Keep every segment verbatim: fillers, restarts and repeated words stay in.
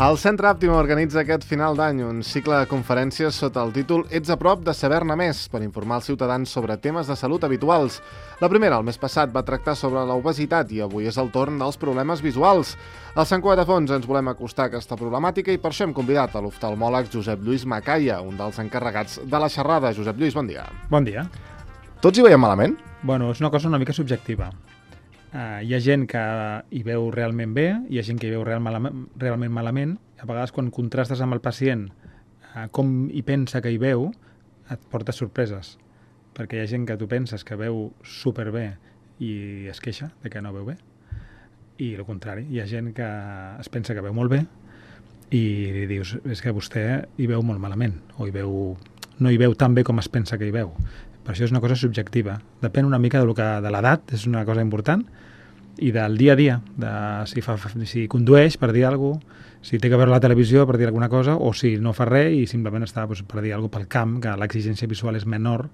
El Centre Àptima organitza aquest final d'any un cicle de conferències sota el títol Ets a prop de saber-ne més, per informar els ciutadans sobre temes de salut habituals. La primera, el mes passat, va tractar sobre l'obesitat i avui és el torn dels problemes visuals. Al Sant Cugat a Fons ens volem acostar a aquesta problemàtica i per això hem convidat a l'oftalmòleg Josep Lluís Macaya, un dels encarregats de la xerrada. Josep Lluís, bon dia. Bon dia. Tots hi veiem malament? Bueno, és una cosa una mica subjectiva. Uh, hi ha gent que hi veu realment bé, hi ha gent que hi veu real malament, realment malament. A vegades, quan contrastes amb el pacient uh, com hi pensa que hi veu, et porta sorpreses. Perquè hi ha gent que tu penses que veu superbé i es queixa de que no veu bé. I el contrari, hi ha gent que es pensa que veu molt bé i li dius, és que vostè hi veu molt malament, o hi veu, no hi veu tan bé com es pensa que hi veu. Per això és una cosa subjectiva. Depèn una mica de, lo que, de l'edat, és una cosa important, i del dia a dia, de si, fa, si condueix per dir alguna cosa, si té que veure la televisió per dir alguna cosa, o si no fa res i simplement està doncs, per dir alguna cosa pel camp, que l'exigència visual és menor.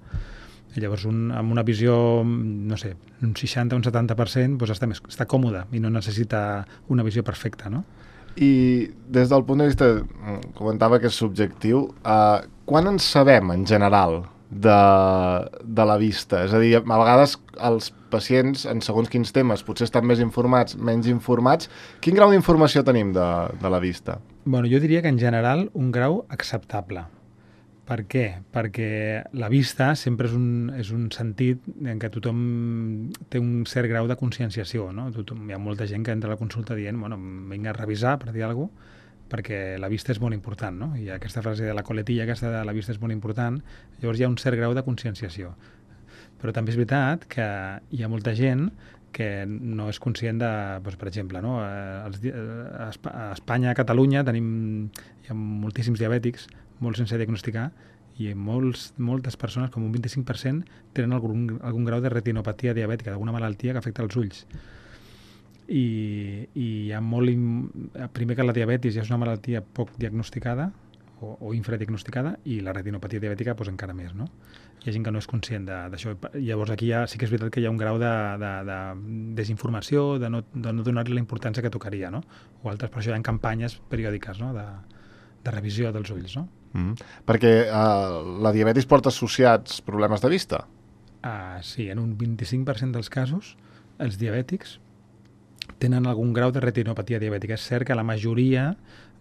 I llavors, un, amb una visió, no sé, un seixanta o un setanta per cent, doncs està, més, està còmode i no necessita una visió perfecta, no? I des del punt de vista, comentava que és subjectiu, eh, quan en sabem, en general, de, de la vista? És a dir, a vegades els pacients, en segons quins temes, potser estan més informats, menys informats. Quin grau d'informació tenim de, de la vista? Bueno, jo diria que en general un grau acceptable. Per què? Perquè la vista sempre és un, és un sentit en què tothom té un cert grau de conscienciació, no? Tothom, hi ha molta gent que entra a la consulta dient, bueno, vinc a revisar, per dir alguna cosa, perquè la vista és molt important, no? I aquesta frase de la coletilla, aquesta de la vista és molt important, llavors hi ha un cert grau de conscienciació. Però també és veritat que hi ha molta gent que no és conscient de, doncs, per exemple, no? A Espanya, a Catalunya, tenim, hi ha moltíssims diabètics, molts sense diagnosticar, i molts, moltes persones, com un vint-i-cinc per cent, tenen algun, algun grau de retinopatia diabètica, d'alguna malaltia que afecta els ulls. I, i hi ha molt... Primer que la diabetis ja és una malaltia poc diagnosticada o, o infradiagnosticada, i la retinopatia diabètica doncs, encara més, no? Hi ha gent que no és conscient d'això. Llavors aquí ja, sí que és veritat que hi ha un grau de, de, de desinformació, de no, de no donar-li la importància que tocaria, no? O altres, per això hi ha campanyes periòdiques, no? de, de revisió dels ulls, no? Mm. Perquè uh, la diabetis porta associats problemes de vista? Uh, sí, en un vint-i-cinc per cent dels casos els diabètics tenen algun grau de retinopatia diabètica. És cert que la majoria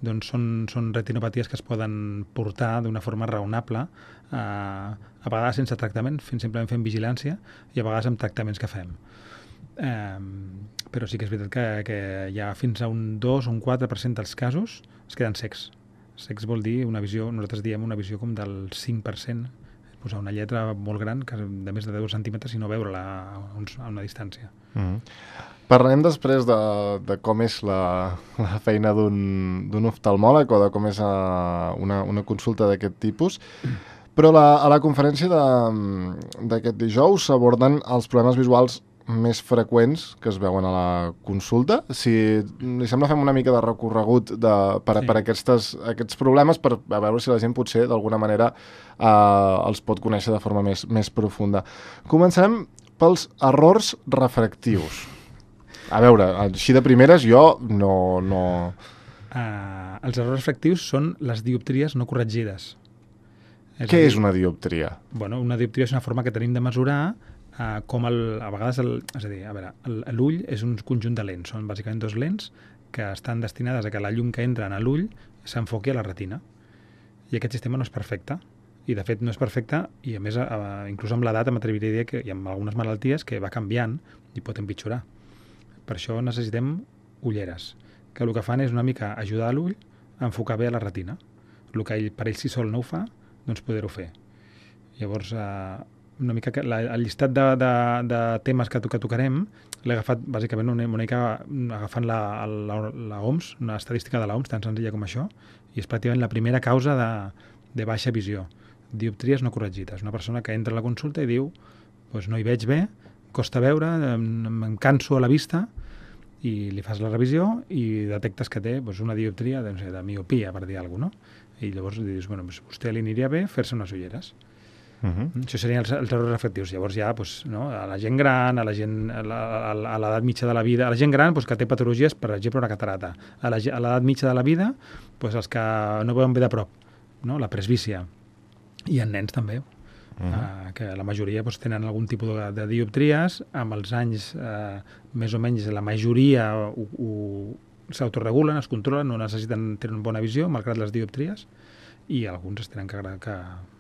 doncs, són, són retinopaties que es poden portar d'una forma raonable, eh, a vegades sense tractament, fins simplement fent vigilància, i a vegades amb tractaments que fem. Eh, però sí que és veritat que, que hi ha fins a un dos o un quatre per cent dels casos es queden cecs. Cecs vol dir una visió, nosaltres diem una visió com del cinc per cent, posar una lletra molt gran, que de més de deu centímetres, i no veure-la a, a una distància. Mm-hmm. Parlarem després de, de com és la, la feina d'un oftalmòleg o de com és uh, una, una consulta d'aquest tipus, però la, a la conferència d'aquest dijous s'aborden els problemes visuals més freqüents que es veuen a la consulta. Si li sembla, fem una mica de recorregut de, per, sí. per aquestes, aquests problemes, per a veure si la gent potser d'alguna manera uh, els pot conèixer de forma més, més profunda. Començarem pels errors refractius. A veure, així de primeres jo no... no... Uh, els errors refractius són les dioptries no corregides. És Què dir, és una dioptria? Bueno, una dioptria és una forma que tenim de mesurar uh, com el, a vegades... El, és a dir, a veure, l'ull és un conjunt de lents. Són bàsicament dos lents que estan destinades a que la llum que entra en l'ull s'enfoqui a la retina. I aquest sistema no és perfecte. I, de fet, no és perfecte i, a més, uh, inclús amb l'edat m'atreviria a dir que hi ha algunes malalties que va canviant i pot empitjorar. Per això necessitem ulleres, que el que fan és una mica ajudar l'ull a enfocar bé a la retina. El que ell, per ell si sol no ho fa, doncs poder-ho fer. Llavors, eh, una mica que la, el llistat de, de, de temes que, que tocarem l'he agafat bàsicament una, una mica agafant la, la, la O M S, una estadística de la O M S tan senzilla com això, i és pràcticament la primera causa de, de baixa visió. Dioptries no corregides. Una persona que entra a la consulta i diu doncs no hi veig bé, costa veure, em, em canso a la vista, i li fas la revisió i detectes que té doncs, una dioptria de, de miopia, per dir alguna cosa, no? I llavors li dius, bueno, doncs, vostè li aniria bé fer-se unes ulleres. Uh-huh. Això serien els, els errors refractius. Llavors ja doncs, no, a la gent gran, a la gent a la- a l'edat mitja de la vida, a la gent gran doncs, que té patologies, per exemple, una catarata. A la ge- a l'edat mitja de la vida, doncs, els que no veuen bé de prop, no? La presbícia. I en nens també, Uh-huh. eh, que la majoria doncs, tenen algun tipus de, de dioptries. Amb els anys, eh, més o menys, la majoria ho, ho, s'autoregulen, es controlen, no necessiten tenir una bona visió, malgrat les dioptries, i alguns es tenen que, que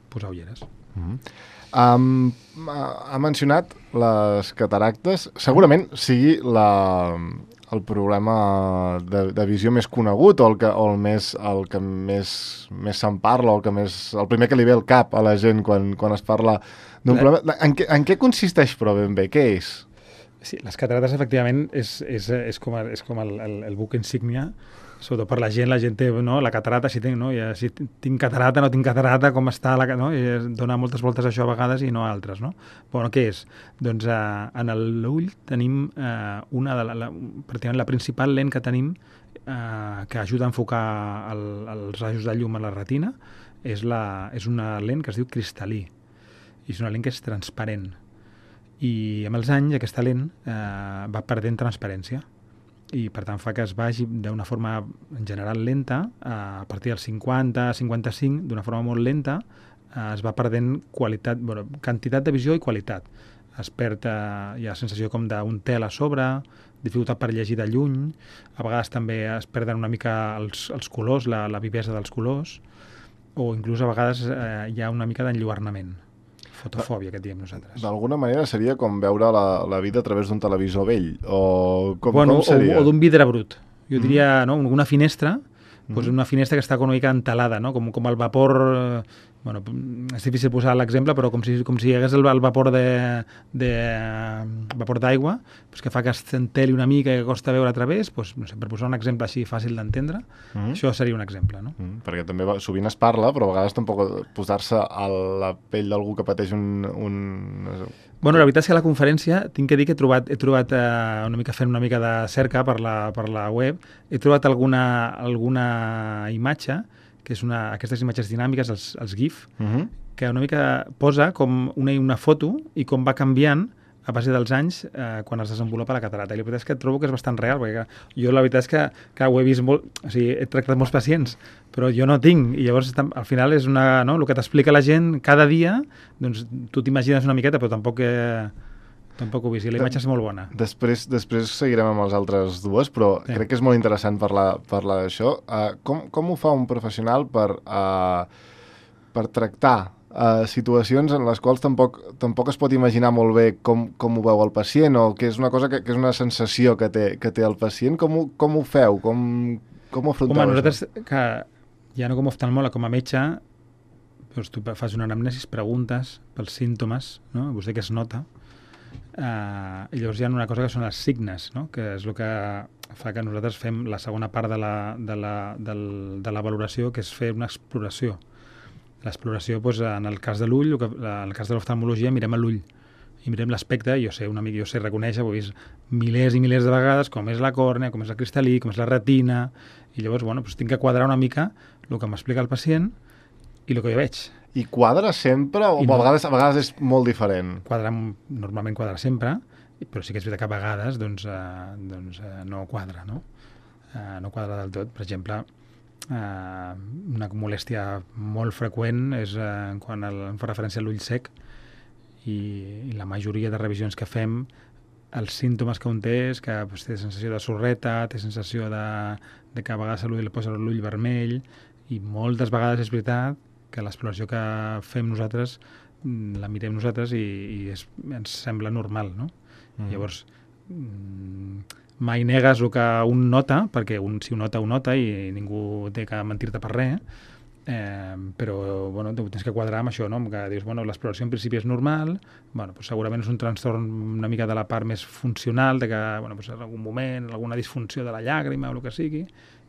posar ulleres. Uh-huh. Um, ha ha mencionat les cataractes. Segurament sigui la, el problema de, de visió més conegut o el que, o el més, el que més, més se'n parla, o el, que més, el primer que li ve al cap a la gent quan, quan es parla d'un La- problema. En què, en què consisteix, però, ben bé? Què és? Sí, les catarates, efectivament, és, és, és com, és com el, el, el buc insígnia, sobretot per la gent. La gent té, no, la catarata, si tinc, no? Ja, si tinc catarata, no tinc catarata, com està, la, no? I es dona moltes voltes a això a vegades i no a altres, no? Bueno, què és? Doncs eh, en l'ull tenim eh, una de la, la, pràcticament la principal lent que tenim eh, que ajuda a enfocar el, els rajos de llum a la retina, és, la, és una lent que es diu cristal·lí, i és una lent que és transparent. I amb els anys aquesta lent eh, va perdent transparència i per tant fa que es vagi d'una forma en general lenta, eh, a partir dels cinquanta, cinquanta-cinc, d'una forma molt lenta, eh, es va perdent qualitat, bueno, quantitat de visió i qualitat. Es perd, eh, hi ha sensació com d'un tel a sobre, dificultat per llegir de lluny, a vegades també es perden una mica els, els colors, la, la vivesa dels colors, o inclús a vegades eh, hi ha una mica d'enlluernament. Fotofòbia, que diem nosaltres. D'alguna manera seria com veure la, la vida a través d'un televisor vell, o com, bueno, com seria? O, o d'un vidre brut. Jo diria, mm. no, una finestra, Mm. doncs una finestra que està com una mica entelada, no? com, com el vapor... Eh, bueno, és difícil posar l'exemple, però com si, com si hi hagués el, el vapor de, de vapor d'aigua, doncs que fa que es enteli una mica i que costa veure a través, doncs, no sé, per posar un exemple així fàcil d'entendre, Mm. això seria un exemple. No? Mm, perquè també va, sovint es parla, però a vegades tampoc posar-se a la pell d'algú que pateix un... un... Bueno, la veritat és que a la conferència tinc que dir que he trobat, he trobat eh, una mica fent una mica de cerca per la, per la web, he trobat alguna, alguna imatge, que és una, aquestes imatges dinàmiques, els, els GIF, Mm-hmm. que una mica posa com una, una foto i com va canviant a base dels anys eh, quan es desenvolupa la catarata. I la veritat és que trobo que és bastant real, perquè jo la veritat és que, que ho he vist molt... O sigui, he tractat molts pacients, però jo no tinc. I llavors, al final, és una, no? el que t'explica la gent cada dia, doncs tu t'imagines una miqueta, però tampoc... Eh, tampoc ho he vist. I la imatge és molt bona. Després, després seguirem amb les altres dues, però Sí. crec que és molt interessant parlar, parlar d'això. Uh, com, com ho fa un professional per, uh, per tractar uh, situacions en les quals tampoc, tampoc es pot imaginar molt bé com, com ho veu el pacient, o que és una cosa que, que és una sensació que té, que té el pacient? Com ho, com ho feu? Com, com ho afronteu? Home, això? nosaltres, que ja no com a oftalmòleg, com a metge, doncs tu fas una anamnesis, preguntes pels símptomes, no? Vostè què es nota? Uh, i llavors hi ha una cosa que són els signes, no? Que és el que fa que nosaltres fem la segona part de la, de la, del, de la valoració, que és fer una exploració. L'exploració, doncs, en el cas de l'ull, en el cas de l'oftalmologia, mirem a l'ull i mirem l'aspecte, i jo sé una mica, jo sé reconèixer, ho he vist milers i milers de vegades, com és la còrnea, com és el cristal·lí, com és la retina, i llavors, bueno, doncs tinc que quadrar una mica el que m'explica el pacient i el que jo veig. I quadra sempre o I no. a, no. vegades, a vegades és molt diferent? Quadra, normalment quadra sempre, però sí que és veritat que a vegades doncs, eh, doncs, eh, no quadra, no? Eh, no quadra del tot. Per exemple, eh, una molèstia molt freqüent és eh, quan el, em fa referència a l'ull sec, i, i la majoria de revisions que fem, els símptomes que un té és que doncs, té sensació de sorreta, té sensació de, de que a vegades a l'ull li posa l'ull vermell, i moltes vegades és veritat que l'exploració que fem nosaltres la mirem nosaltres i, i és, ens sembla normal, no? Mm. Llavors, mai negues el que un nota, perquè un, si ho nota, ho nota i ningú té que mentir-te per res, eh, però bueno, tens que quadrar amb això, no? Que dius, bueno, l'exploració en principi és normal, bueno, doncs segurament és un trastorn una mica de la part més funcional, de que bueno, doncs en algun moment, alguna disfunció de la llàgrima o el que sigui,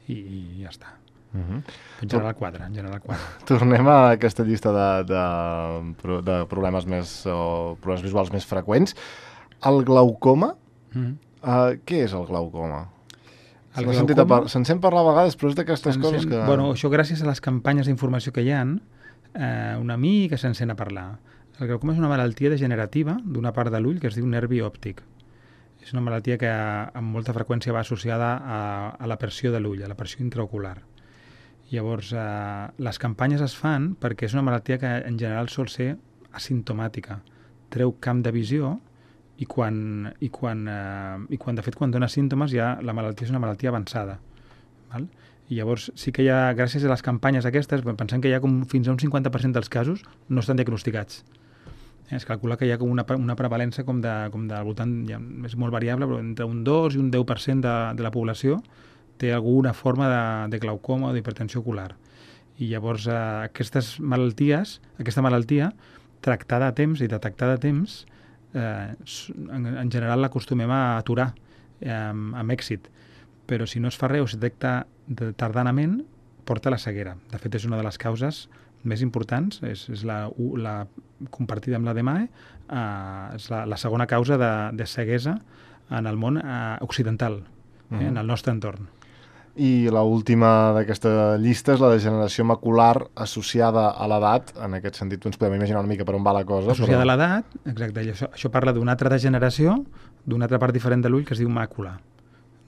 i, i ja està. Uh-huh. En general quadra, en general quadra. Tornem a aquesta llista de, de, de problemes més o problemes visuals més freqüents. El glaucoma, mm. uh, què és el glaucoma? El Se'n glaucoma... Se'n sent parlar a vegades, però és d'aquestes coses que... Bueno, això gràcies a les campanyes d'informació que hi ha, eh, una mica se'n sent a parlar. El glaucoma és una malaltia degenerativa d'una part de l'ull que es diu nervi òptic. És una malaltia que amb molta freqüència va associada a, a la pressió de l'ull, a la pressió intraocular. Llavors, eh, les campanyes es fan perquè és una malaltia que en general sol ser asimptomàtica. Treu camp de visió i quan, i quan, eh, i quan de fet, quan dona símptomes, ja la malaltia és una malaltia avançada. Val? I llavors sí que hi ha, gràcies a les campanyes aquestes, pensem que hi ha com fins a un cinquanta per cent dels casos no estan diagnosticats. Es calcula que hi ha com una, una prevalença com de, com de voltant, ja és molt variable, però entre un dos i un deu per cent de, de la població té alguna forma de, de glaucoma o d'hipertensió ocular. I llavors eh, aquestes malalties, aquesta malaltia, tractada a temps i detectada a temps, eh, en, en general l'acostumem a aturar eh, amb, amb èxit. Però si no es fa res o es detecta tardanament, porta a la ceguera. De fet, és una de les causes més importants, és, és la, la compartida amb la D M A E, eh, és la, la segona causa de, de ceguesa en el món eh, occidental, eh, uh-huh. en el nostre entorn. I l'última d'aquesta llista és la degeneració macular associada a l'edat. En aquest sentit, ens podem imaginar una mica per on va la cosa. Associada però... a l'edat, exacte. I això, això parla d'una altra degeneració, d'una altra part diferent de l'ull que es diu màcula.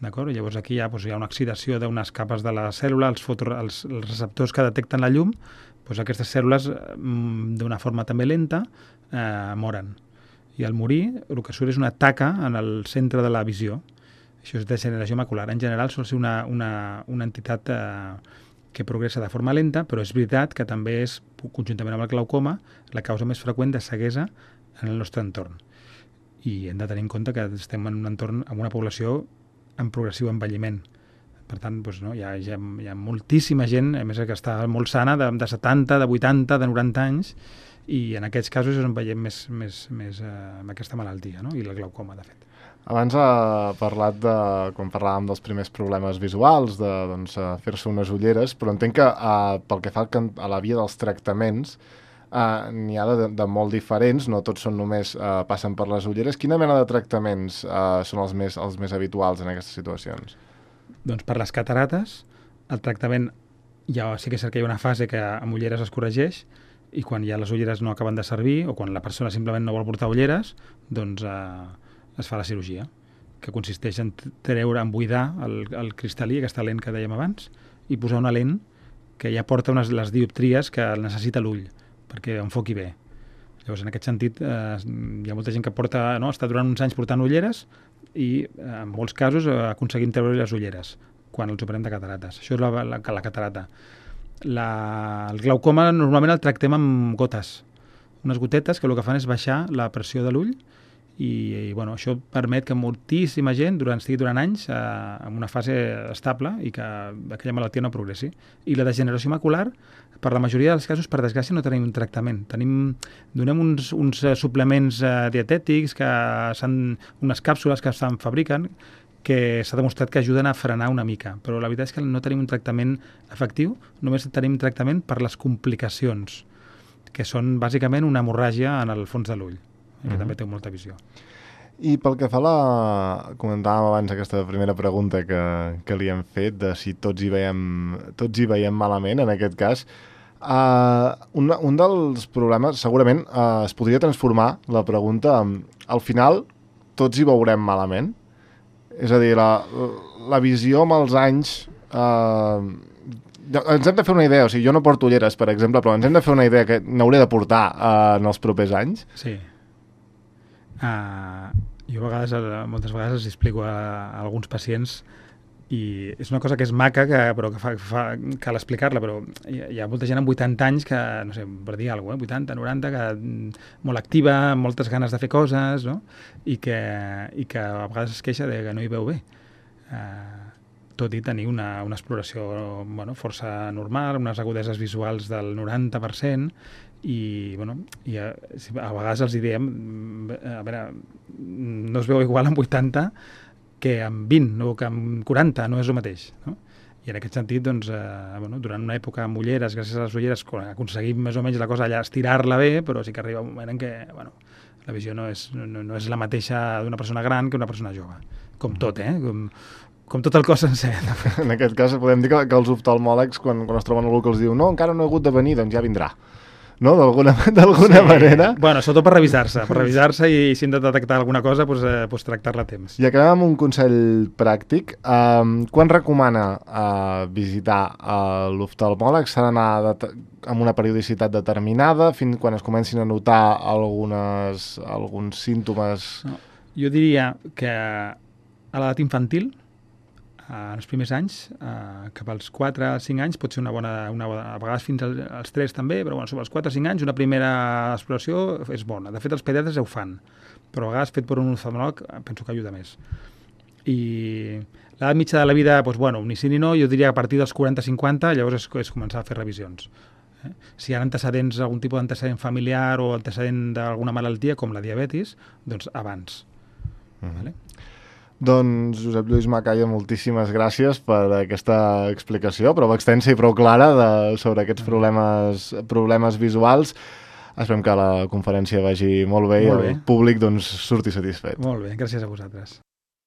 D'acord? Llavors aquí hi ha, doncs, hi ha una oxidació d'unes capes de la cèl·lula, els, foto, els, els receptors que detecten la llum, doncs aquestes cèl·lules, d'una forma també lenta, eh, moren. I al morir, el que surt és una taca en el centre de la visió. Això és degeneració macular. En general sol ser una, una, una entitat eh, que progressa de forma lenta, però és veritat que també és, conjuntament amb el glaucoma, la causa més freqüent de ceguesa en el nostre entorn. I hem de tenir en compte que estem en un entorn amb una població en progressiu envelliment. Per tant, doncs, no, hi, ha, hi, ha, hi ha moltíssima gent, a més que està molt sana, de, de setanta, de vuitanta, de noranta anys, i en aquests casos és on veiem més, més, més eh, amb aquesta malaltia, no? I el glaucoma, de fet. Abans ha parlat de, quan parlàvem dels primers problemes visuals, de doncs, fer-se unes ulleres, però entenc que eh, pel que fa a la via dels tractaments, eh, n'hi ha de, de molt diferents, no tots són només eh, passen per les ulleres. Quina mena de tractaments eh, són els més, els més habituals en aquestes situacions? Doncs per les catarates, el tractament, ja sí que és cert que hi ha una fase que amb ulleres es corregeix, i quan ja les ulleres no acaben de servir, o quan la persona simplement no vol portar ulleres, doncs eh, es fa la cirurgia, que consisteix en treure, en buidar el, el cristal·lí, aquesta lent que dèiem abans, i posar una lent que ja porta unes, les dioptries que necessita l'ull, perquè enfoqui bé. Llavors, en aquest sentit, eh, hi ha molta gent que porta, no, està durant uns anys portant ulleres i, eh, en molts casos, eh, aconseguim treure les ulleres quan els operem de catarates. Això és la, la, la catarata. La, el glaucoma normalment el tractem amb gotes, unes gotetes que el que fan és baixar la pressió de l'ull i, i bueno, això permet que moltíssima gent durant, estigui durant anys eh, en una fase estable i que aquella malaltia no progressi. I la degeneració macular, per la majoria dels casos, per desgràcia, no tenim un tractament. Tenim, donem uns, uns suplements eh, dietètics, que s'han, unes càpsules que se'n fabriquen, que s'ha demostrat que ajuden a frenar una mica, però la veritat és que no tenim un tractament efectiu, només tenim tractament per les complicacions, que són bàsicament una hemorràgia en el fons de l'ull, que uh-huh. també té molta visió. I pel que fa a la... comentàvem abans aquesta primera pregunta que, que li hem fet, de si tots hi veiem, tots hi veiem malament, en aquest cas, uh, un, un dels problemes, segurament, uh, es podria transformar la pregunta en, al final, tots hi veurem malament? És a dir, la, la visió amb els anys... Eh, ens hem de fer una idea, o sigui, jo no porto ulleres, per exemple, però ens hem de fer una idea que n'hauré de portar eh, en els propers anys. Sí. Uh, jo a vegades, moltes vegades els explico a, a alguns pacients i és una cosa que és maca, que, però que fa, fa, cal explicar-la, però hi, hi ha molta gent amb vuitanta anys que, no sé, per dir alguna cosa, eh? vuitanta, noranta, que molt activa, amb moltes ganes de fer coses, no? I que, i que a vegades es queixa de que no hi veu bé. Uh, tot i tenir una, una exploració bueno, força normal, unes agudeses visuals del noranta per cent, i, bueno, i a, a vegades els diem, a veure, no es veu igual amb vuitanta que amb vint o que amb quaranta, no és el mateix, no? I en aquest sentit, doncs, eh, bueno, durant una època amb ulleres, gràcies a les ulleres, aconseguim més o menys la cosa allà estirar-la bé, però sí que arriba un moment en què, bueno, la visió no és, no, no és la mateixa d'una persona gran que una persona jove. Com tot, eh? Com, com tot el cos sencer. En aquest cas podem dir que, que els oftalmòlegs, quan, quan es troben algú que els diu no, encara no he hagut de venir, doncs ja vindrà. no? D'alguna d'alguna sí. manera. Bueno, sobretot per revisar-se, per revisar-se i si hem de detectar alguna cosa, doncs, eh, doncs tractar-la a temps. I acabem amb un consell pràctic. Um, quan recomana uh, visitar uh, l'oftalmòleg? S'ha d'anar amb una periodicitat determinada fins quan es comencin a notar algunes, alguns símptomes? No, jo diria que a l'edat infantil, en els primers anys, eh, cap als quatre a cinc anys pot ser una bona, una bona, a vegades fins als tres també, però bueno, sobre els quatre a cinc anys una primera exploració és bona. De fet, els pediatres ho fan, però a vegades fet per un oftalmòleg penso que ajuda més. I l'edat mitja de la vida, doncs, bueno, ni sí ni no, jo diria que a partir dels quaranta a cinquanta llavors és, és començar a fer revisions. Eh? Si hi ha antecedents, algun tipus d'antecedent familiar o antecedent d'alguna malaltia, com la diabetis, doncs abans. Mm-hmm. Vale? Doncs, Josep Lluís Macaya, moltíssimes gràcies per aquesta explicació, prou extensa i prou clara de, sobre aquests problemes, problemes visuals. Esperem que la conferència vagi molt bé molt i el bé. Públic doncs, surti satisfet. Molt bé, gràcies a vosaltres.